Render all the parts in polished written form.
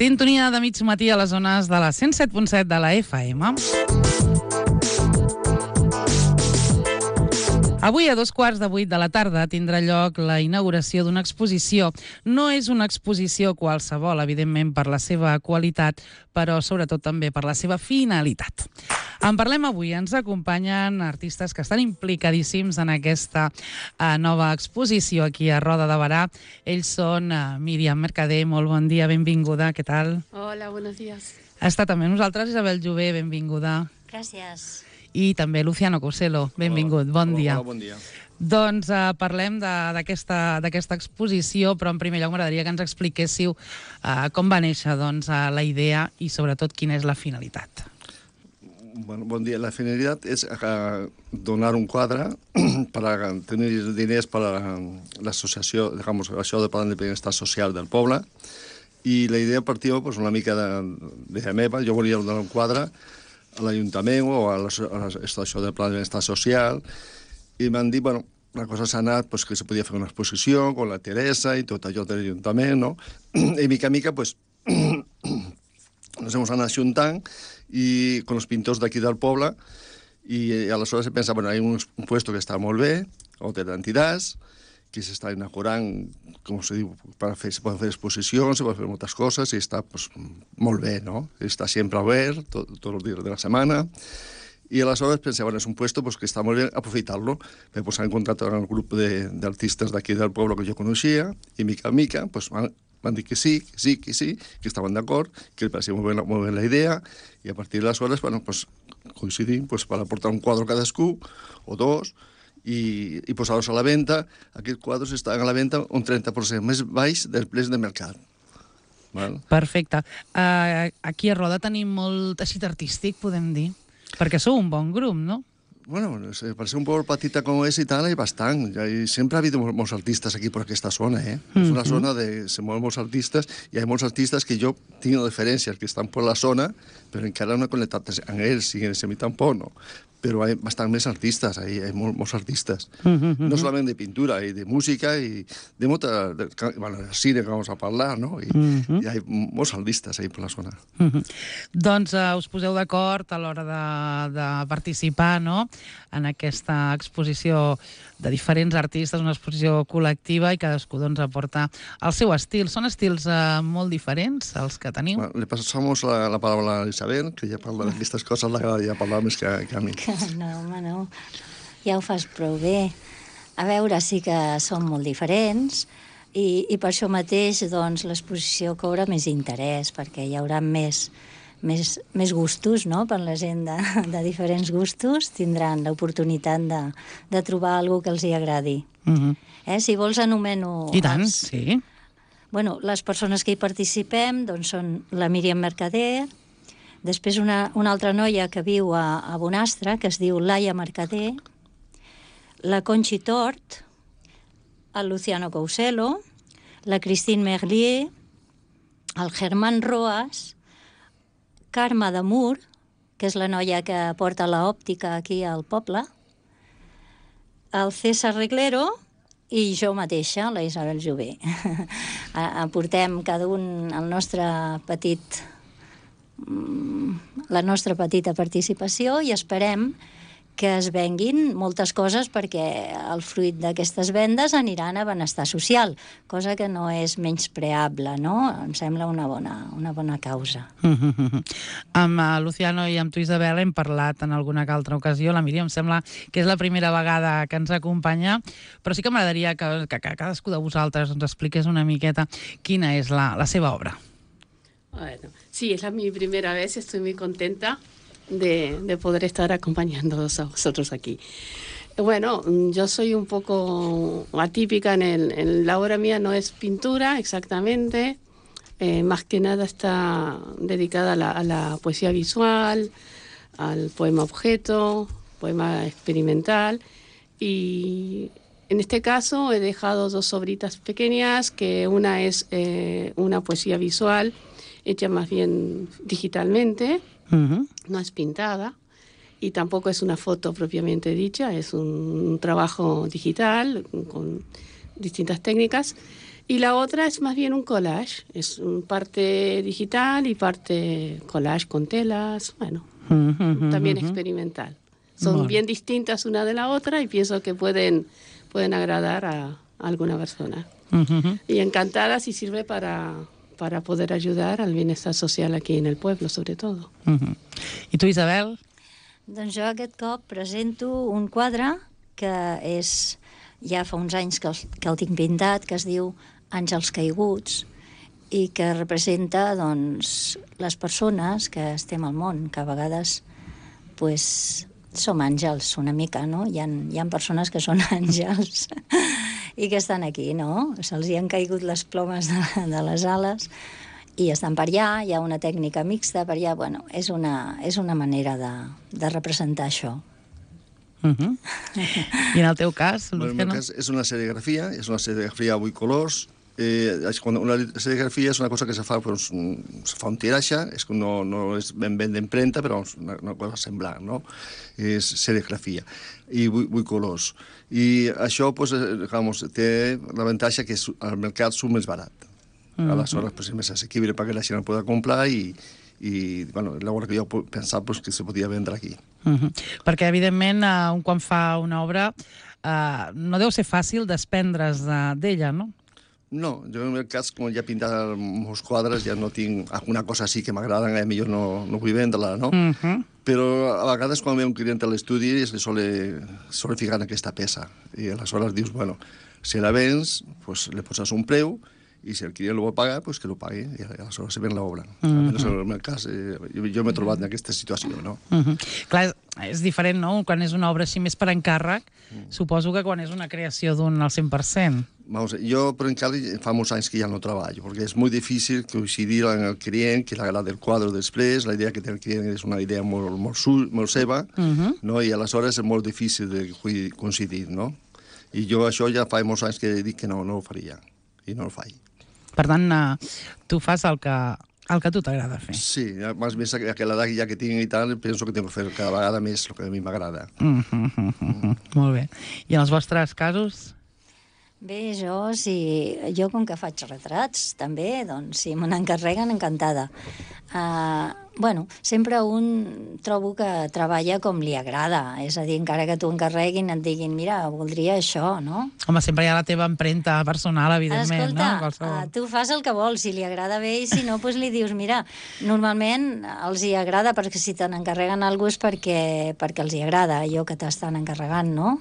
Sintonia de mig matí a les zones de la 107.7 de la FM. Avui a 7:15 de la tarda tindrà lloc la inauguració d'una exposició. No és una exposició qualsevol, evidentment, per la seva qualitat, però sobretot també per la seva finalitat. En parlem avui. Ens acompanyen artistes que estan implicadíssims en aquesta nova exposició aquí a Roda de Berà. Ells són Míriam Mercader, molt bon dia, benvinguda, què tal? Hola, buenos días. Està també amb nosaltres Isabel Jové, benvinguda. Gràcies. I també Luciano Couselo, benvingut, bon dia. Hola, bon dia. Doncs parlem d'aquesta exposició, però en primer lloc m'agradaria que ens expliquéssiu com va néixer la idea i sobretot quina és la finalitat. Bueno, bon dia. La finalitat és donar un quadre per tenir diners per a l'associació, digamos, això de Plan de Benestar Social del poble, i la idea partia pues, una mica de meva. Jo volia donar un quadre a l'Ajuntament o a l'estació del Pla de Benestar Social, i m'han dit, bueno, la cosa s'ha anat, pues, que se podia fer una exposició amb la Teresa i tot allò de l'Ajuntament, no? I mica a mica, pues, nos hemos anat juntant i con els pintors d'aquí del poble, i aleshores he pensat, bueno, hi ha un puesto que està molt bé, hotel d'entitats, que s'està inaugurant, com se diu, se poden fer exposicions, se poden fer moltes coses, i està pues, molt bé, no? Està sempre obert, tots els dies de la setmana, i aleshores pensé, bueno, és un puesto pues, que està molt bé aprofitar-lo. Vam posar en contacte amb el grup d'artistes d'aquí del poble que jo coneixia, i mica a mica pues, van dir que sí, que estaven d'acord, que els parecia molt bé la idea, i a partir d'aleshores, bueno, pues, coincidim pues, per aportar un quadre cadascú, o dos, i posar-los a la venda. Aquests quadres estan a la venda un 30% més baix del preu de mercat. Val? Perfecte. Aquí a Roda tenim molt teixit artístic, podem dir, perquè sou un bon grup, no? Bueno, per ser un poble petita com és i tal, hi ha bastant. Sempre ha habido molts artistes aquí per aquesta zona, eh? És una zona de... se mouen molts artistes, i hi ha molts artistes que jo tinc referències que estan per la zona, però encara no he connectat amb ells, i a mi tampoc, no? Però hi ha bastant més artistes, hi ha molts artistes. No solament de pintura, i de música, i de molta... bueno, de cine que vamos a parlar, no? I hi ha molts artistes per la zona. Doncs us poseu d'acord a l'hora de participar, no?, en aquesta exposició de diferents artistes, una exposició col·lectiva, i cadascú doncs aporta el seu estil. Són estils molt diferents, els que teniu? Bueno, le pasamos la paraula a Isabel, que ja parla d'aquestes coses, ja parla més que a mi. No, home, no. Ja ho fas prou bé. A veure, sí que són molt diferents, i per això mateix doncs, l'exposició cobra més interès, perquè hi haurà més gustos, no?, per la gent de diferents gustos, tindran l'oportunitat de trobar alguna que els hi agradi. Si vols anomeno... I tant, sí. Bueno, les persones que hi participem doncs, són la Míriam Mercader, després una altra noia que viu a Bonastre, que es diu Laia Mercader, la Conchi Tort, el Luciano Couselo, la Christine Merlier, el Germán Roas, Carme de Mur, que és la noia que porta l'òptica aquí al poble, el César Reglero i jo mateixa, la Isabel Jové. Aportem cada un la nostra petita participació, i esperem que es venguin moltes coses, perquè el fruit d'aquestes vendes aniran a benestar social, cosa que no és menyspreable, no? Em sembla una bona causa. Amb Luciano i amb tu, Isabel, hem parlat en alguna altra ocasió. La Míriam em sembla que és la primera vegada que ens acompanya, però sí que m'agradaria que cadascú de vosaltres ens expliqués una miqueta quina és la seva obra. Bueno, sí, es mi primera vez, estoy muy contenta de poder estar acompañándolos a vosotros aquí. Bueno, yo soy un poco atípica en la obra mía, no es pintura exactamente, más que nada está dedicada a la poesía visual, al poema objeto, poema experimental, y en este caso he dejado dos obritas pequeñas, que una es una poesía visual hecha más bien digitalmente, no es pintada, y tampoco es una foto propiamente dicha, es un trabajo digital con distintas técnicas, Y la otra es más bien un collage, es parte digital y parte collage con telas, bueno, también experimental. Son bien distintas una de la otra y pienso que pueden agradar a alguna persona. Y encantada si sirve para poder ayudar al bienestar social aquí en el pueblo, sobre todo. I tu, Isabel? Doncs jo aquest cop presento un quadre que ja fa uns anys que el tinc pintat, que es diu Àngels caiguts, i que representa doncs, les persones que estem al món, que a vegades pues, som àngels una mica, no? Hi ha persones que són àngels i que estan aquí, no? Se'ls hi han caigut les plomes de les ales i estan per allà, hi ha una tècnica mixta per allà, bueno, és una manera de representar això. I en el teu cas, Luciano? En el meu cas és una serigrafia a 8 colors. Una serigrafia és una cosa que se fa un tiratge, no és ben d'empremta, però una cosa semblant, no? És serigrafia i 8 colors. I això, té l'avantatge que al mercat surt més barat. Aleshores, és més assequible perquè la gent el pugui comprar i l'obra que jo pensava que se podia vendre aquí. Perquè, evidentment, un quan fa una obra no deu ser fàcil desprendre's d'ella, no? No, jo en el cas, com ja he pintat molts quadres, ja no tinc alguna cosa així que m'agrada, millor no vull vendre-la, no? Però a vegades quan ve un client a l'estudi es li sol ficar en aquesta peça. I aleshores dius, bueno, si la vens, li poses un preu, i si el client el vol pagar, que lo pagui, i aleshores se ven l'obra. Almenys en el meu cas, jo m'he trobat en aquesta situació, no? Clar, és diferent, no? Quan és una obra així més per encàrrec, suposo que quan és una creació d'un al 100%. Jo, per encàrrec, fa molts anys que ja no treballo, perquè és molt difícil coincidir amb el client, que l'agrada el quadre després, la idea que té el client és una idea molt seva, i aleshores és molt difícil de coincidir, no? I jo això ja fa molts anys que dic que no ho faria, i no ho faig. Per tant, tu fas el que a tu t'agrada fer. Sí, més que l'edat ja que tinc i tal, penso que tinc que fer cada vegada més el que a mi m'agrada. Molt bé. I en els vostres casos? Bé, jo com que faig retrats, també, doncs, si me n'encarreguen, encantada. Sempre un trobo que treballa com li agrada, és a dir, encara que t'ho encarreguin, et diguin, mira, voldria això, no? Home, sempre hi ha la teva empremta personal, evidentment, no? Escolta, tu fas el que vols, si li agrada bé, i si no, doncs li dius, mira, normalment els hi agrada, perquè si te n'encarreguen alguna cosa és perquè els hi agrada allò que t'estan encarregant, no?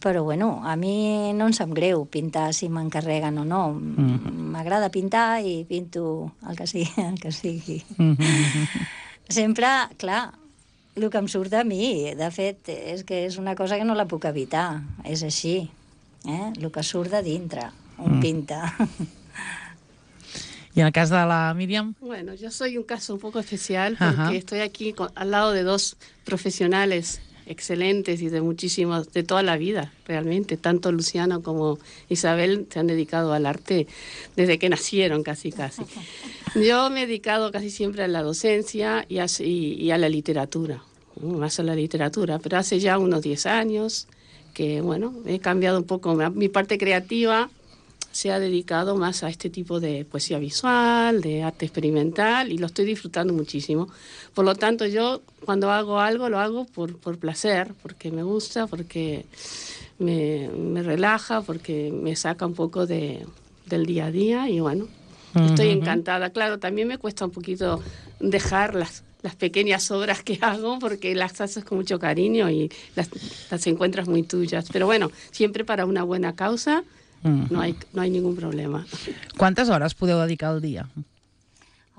Però, bueno, a mi no em sap greu pintar si m'encarreguen o no. M'agrada pintar i pinto el que sigui. Sempre, clar, el que em surt de mi, de fet, és que és una cosa que no la puc evitar. És així. El que surt de dintre, un pinta. ¿Y en el caso de la Míriam? Bueno, yo soy un caso un poco especial porque estoy aquí al lado de dos profesionales excelentes y de toda la vida, realmente. Tanto Luciano como Isabel se han dedicado al arte desde que nacieron, casi. Yo me he dedicado casi siempre a la docencia y a la literatura, más a la literatura, pero hace ya unos 10 años que, bueno, he cambiado un poco. Mi parte creativa se ha dedicado más a este tipo de poesía visual, de arte experimental, y lo estoy disfrutando muchísimo. Por lo tanto, yo cuando hago algo, lo hago por placer, porque me gusta, porque me relaja, porque me saca un poco del día a día, y bueno, estoy encantada. Claro, también me cuesta un poquito dejar las pequeñas obras que hago, porque las haces con mucho cariño y las encuentras muy tuyas. Pero bueno, siempre para una buena causa. No hay ningún problema. Quantes hores podeu dedicar al dia?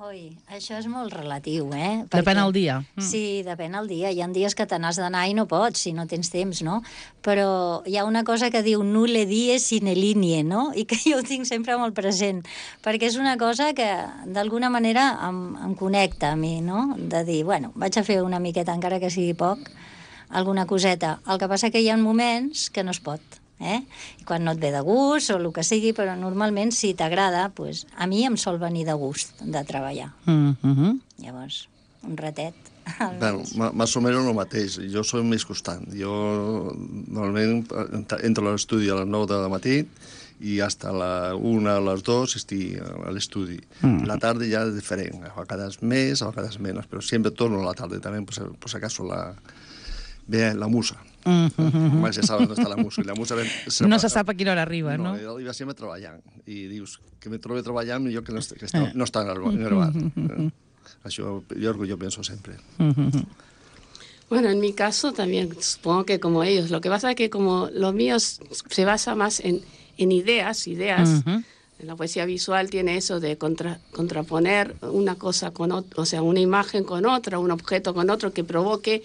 Oi, això és molt relatiu, eh? Depèn del dia. Sí, depèn del dia. Hi ha dies que te n'has d'anar i no pots, si no tens temps, no? Però hi ha una cosa que diu nulle die sine linie, no? I que jo ho tinc sempre molt present, perquè és una cosa que d'alguna manera em connecta a mi, no? De dir, bueno, vaig a fer una miqueta, encara que sigui poc, alguna coseta. El que passa que hi ha moments que no es pot. I quan no et ve de gust o el que sigui, però normalment si t'agrada, doncs, a mi em sol venir de gust de treballar. Llavors, un ratet. Bueno, más o menos el mateix. Jo soc més constant. Jo normalment entro a l'estudi a les 9 del matí i hasta la 1 a les 2 estic a l'estudi. La tarde ya es diferent. A vegades més, a vegades menys, però sempre torno a la tarde també, por si acaso ve la musa. Mai se sabe on està la musa. La musa no se sap a quina hora arriba, no? No, ell va sempre treballant. I dius, que me trobe treballant millor que no està en el bar. Això yo pienso siempre. Bueno, en mi caso también, supongo que como ellos. Lo que pasa es que como lo mío se basa más en ideas. En la poesía visual tiene eso de contraponer una cosa con otra, o sea, una imagen con otra, un objeto con otro que provoque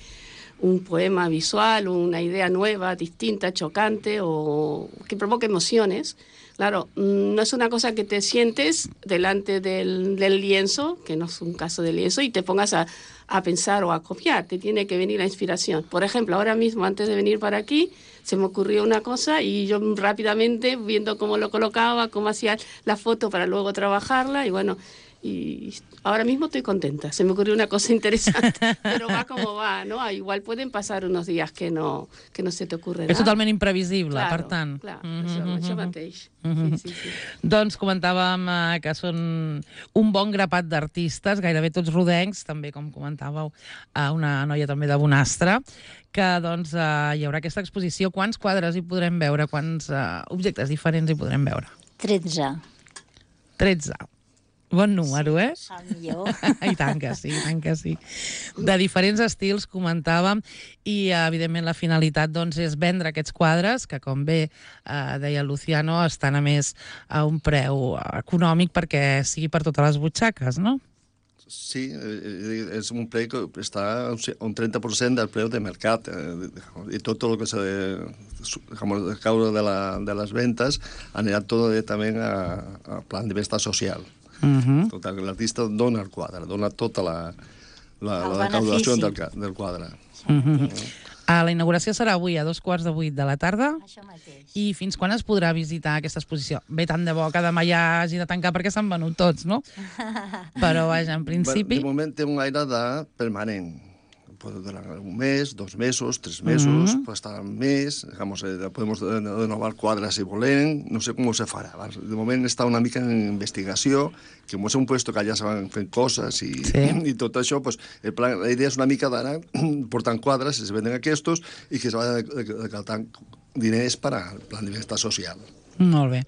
un poema visual, una idea nueva, distinta, chocante o que provoque emociones. Claro, no es una cosa que te sientes delante del lienzo, que no es un caso de lienzo, y te pongas a pensar o a copiar. Te tiene que venir la inspiración. Por ejemplo, ahora mismo, antes de venir para aquí, se me ocurrió una cosa y yo rápidamente, viendo cómo lo colocaba, cómo hacía la foto para luego trabajarla, y bueno, y ahora mismo estoy contenta. Se me ocurrió una cosa interesante, pero va como va, ¿no? Igual pueden pasar unos días que no se te ocurre nada. És totalment imprevisible, claro, per tant. Clar, això mateix. Sí. Doncs comentàvem que són un bon grapat d'artistes, gairebé tots rodencs, també, com comentàveu, una noia també de Bonastre, que doncs hi haurà aquesta exposició. Quants quadres hi podrem veure? Quants objectes diferents hi podrem veure? 13. 13. Bon número, eh? El millor. I tant que sí, i tant que sí. De diferents estils, comentàvem, i evidentment la finalitat doncs, és vendre aquests quadres, que com bé deia Luciano, estan a més a un preu econòmic perquè sigui per totes les butxaques, no? Sí, és un preu que està un 30% del preu de mercat i tot el que se caure de les ventes anirà tot també a plan de benestar social. L'artista dona el quadre, dona tota la recaudació del quadre. La inauguració serà avui a 7:15 de la tarda. Això mateix. I fins quan es podrà visitar aquesta exposició? Bé, tant de bo que demà ja hagi de tancar perquè s'han venut tots, no? Però, vaja, en principi... De moment té un aire de permanent. Puede durar un mes, 2 mesos, 3 mesos, puede estar un mes, podemos renovar quadres si volem, no sé com se farà. De moment està una mica en investigació, que com és un puesto que allà se van fent coses i tot això, la idea és una mica d'anar portant quadres, si se venden aquests, i que se va recaptant diners per al plan de benestar social. Molt bé.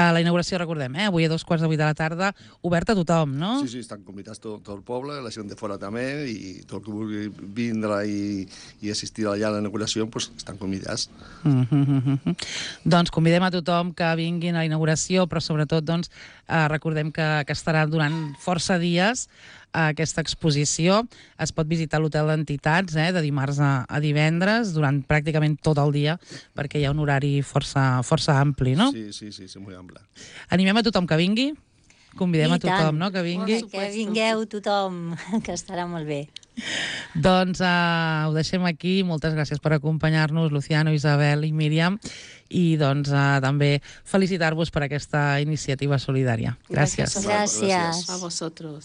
La inauguració, recordem, avui a 7:15 de la tarda, oberta a tothom, no? Sí, estan convidats tot el poble, la gent de fora també, i tot el que vulgui vindre i assistir allà a la inauguració, estan convidats. Doncs convidem a tothom que vinguin a la inauguració, però sobretot recordem que estarà durant força dies aquesta exposició. Es pot visitar l'Hotel d'Entitats de dimarts a divendres durant pràcticament tot el dia, perquè hi ha un horari força ampli, no? Sí, molt ample. Animem a tothom que vingui? Convidem a tothom, no?, que vingui. Que vingueu tothom, que estarà molt bé. Doncs ho deixem aquí. Moltes gràcies per acompanyar-nos, Luciano, Isabel i Míriam, i doncs també felicitar-vos per aquesta iniciativa solidària. Gràcies. Gracias a vosotros.